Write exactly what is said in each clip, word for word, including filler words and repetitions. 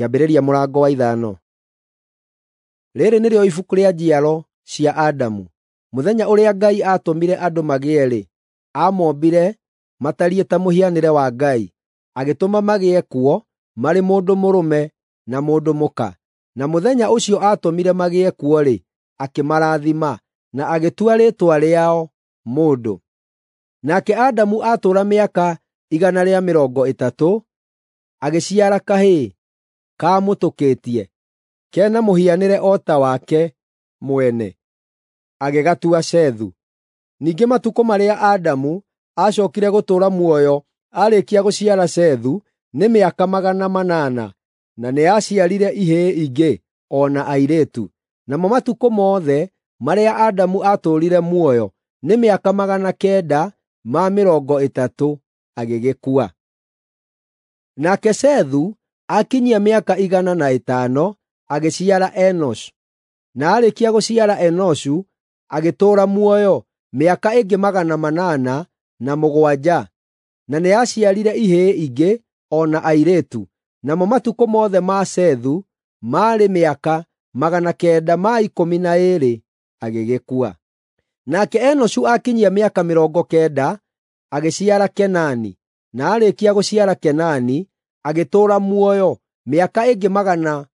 Kĩambĩrĩria mũrango wa ithano. Rĩĩrĩ nĩrĩo ibuku rĩa njiaro cia Adamu. Mũthenya ũrĩa Ngai aatũmire andũ magĩe-rĩ, aamombire matariĩ ta mũhianĩre wa Ngai, agĩtũma magĩe kuo marĩ mũndũ mũrũme na mũndũ mũka. Na mũthenya ũcio aatũmire magĩe kuo-rĩ, akĩmarathima, na agĩtua rĩĩtwa rĩao Mũndũ. Nake Adamu aatũũra mĩaka igana rĩa mĩrongo ĩtatũ, agĩciara kahĩĩ kaamũtũkĩtie, ke na mũhianĩre o ta wake mwene, agĩgatua Sethu. Ningĩ matukũ marĩa Adamu aacookire gũtũũra muoyo aarĩkia gũciara Sethu nĩ mĩaka magana manana, na nĩaciarire ihĩĩ ingĩ o na airĩtu. Namo matukũ mothe marĩa Adamu aatũũrire muoyo nĩ mĩaka magana kenda ma mĩrongo ĩtatũ, agĩgĩkua. Nake Sethu aakinyia mĩaka igana na ĩtano, agĩciara Enoshu. Na aarĩkia gũciara Enoshu, agĩtũũra muoyo mĩaka ĩngĩ magana manana na mũgwanja, na nĩaciarire ihĩĩ ingĩ o na airĩtu. Namo matukũ mothe ma Sethu maarĩ mĩaka magana kenda ma ikũmi na ĩĩrĩ, agĩgĩkua. Nake Enoshu aakinyia mĩaka mĩrongo kenda, agĩciara Kenani. Na aarĩkia gũciara Kenani, agĩtũũra muoyo mĩaka ĩngĩ magana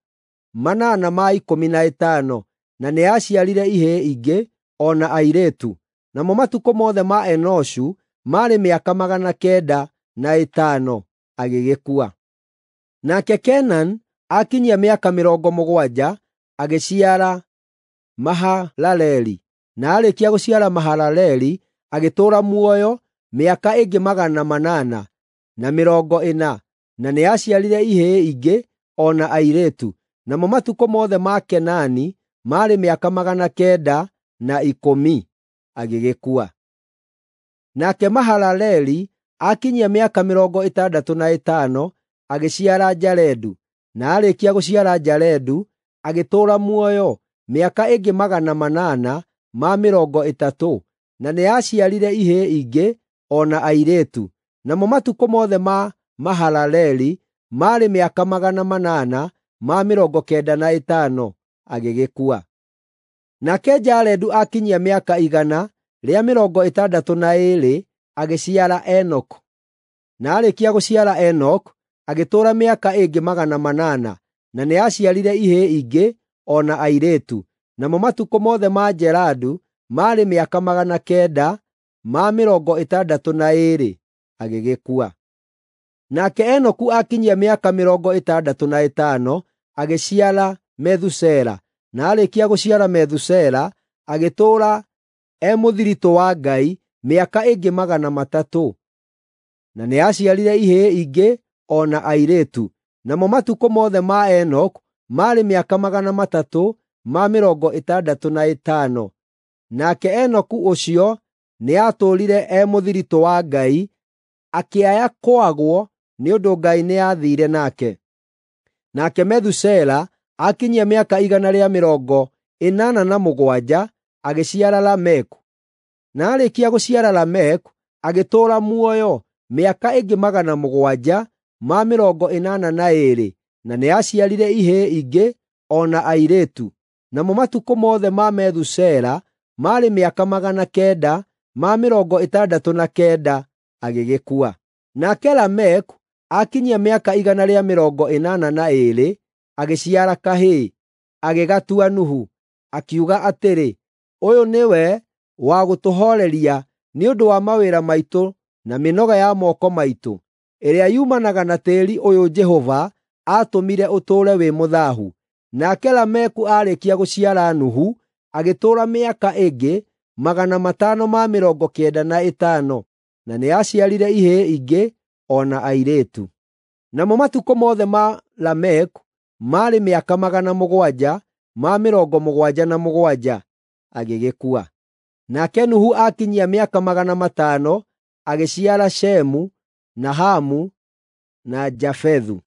manana ma ikũmi na ĩtano, na nĩaciarire ihĩĩ ingĩ o na airĩtu. Namo matukũ mothe ma Enoshu maarĩ mĩaka magana kenda na ĩtano, agĩgĩkua. Nake Kenani aakinyia mĩaka mĩrongo mũgwanja, agĩciara Mahalaleli. Na aarĩkia gũciara Mahalaleli, agĩtũũra muoyo mĩaka ĩngĩ magana manana na mĩrongo ĩna, na nĩaciarire ihĩĩ ingĩ o na airĩtu. Namo matukũ mothe ma Kenani maarĩ mĩaka magana kenda na ikũmi, agĩgĩkua. Nake Mahalaleli aakinyia mĩaka mĩrongo ĩtandatũ na ĩtano, agĩciara Jaredu. Na aarĩkia gũciara Jaredu, agĩtũũra muoyo mĩaka ĩngĩ magana manana ma mĩrongo ĩtatũ, na nĩaciarire ihĩĩ ingĩ o na airĩtu. Namo matukũ mothe ma Mahalaleli maarĩ mĩaka magana manana ma mĩrongo kenda na ĩtano, agĩgĩkua. Nake Jaredu aakinyia mĩaka igana rĩa mĩrongo ĩtandatũ na ĩĩrĩ, agĩciara Enoku. Na aarĩkia gũciara Enoku, agĩtũũra mĩaka ĩngĩ magana manana, na nĩaciarire ihĩĩ ingĩ o na airĩtu. Namo matukũ mothe ma Jaredu maarĩ mĩaka magana kenda ma mĩrongo ĩtandatũ na ĩĩrĩ, agĩgĩkua. Nake Enoku aakinyia mĩaka mĩrongo ĩtandatũ na ĩtano, agĩciara Methusela. Na aarĩkia gũciara Methusela, agĩtũũra e mũthiritũ wa Ngai mĩaka ĩngĩ magana matatũ, na nĩaciarire ihĩĩ ingĩ o na airĩtu. Namo matukũ mothe ma Enoku maarĩ mĩaka magana matatũ ma mĩrongo ĩtandatũ na ĩtano. Nake Enoku ũcio nĩatũũrire e mũthiritũ wa Ngai, akĩaya kwagwo nĩ ũndũ Ngai nĩathiire nake. Nake Methusela aakinyia mĩaka igana rĩa mĩrongo ĩnana na mũgwanja, agĩciara Lameku. Na aarĩkia gũciara Lameku, agĩtũũra muoyo mĩaka ĩngĩ magana mũgwanja ma mĩrongo ĩnana na ĩĩrĩ, na nĩaciarire ihĩĩ ingĩ o na airĩtu. Namo matukũ mothe ma Methusela maarĩ mĩaka magana kenda ma mĩrongo ĩtandatũ na kenda, agĩgĩkua. Nake Lameku aakinyia mĩaka igana rĩa mĩrongo ĩnana na ĩĩrĩ, agĩciara kahĩĩ, agĩgatua Nuhu, akiuga atĩrĩ, “Ũyũ nĩwe wa gũtũhooreria nĩ ũndũ wa mawĩra maitũ na mĩnoga ya moko maitũ, ĩrĩa yumanaga na tĩĩri ũyũ Jehova aatũmire ũtũũre wĩ mũthaahu.” Nake Lameku aarĩkia gũciara Nuhu, agĩtũũra mĩaka ĩngĩ magana matano ma mĩrongo kenda na ĩtano, na nĩaciarire ihĩĩ ingĩ o na airĩtu. Namo matukũ mothe ma Lameku maarĩ mĩaka magana mũgwanja ma mĩrongo mũgwanja na mũgwanja, agĩgĩkua. Nake Nuhu aakinyia mĩaka magana matano, agĩciara Shemu, na Hamu na Jafethu.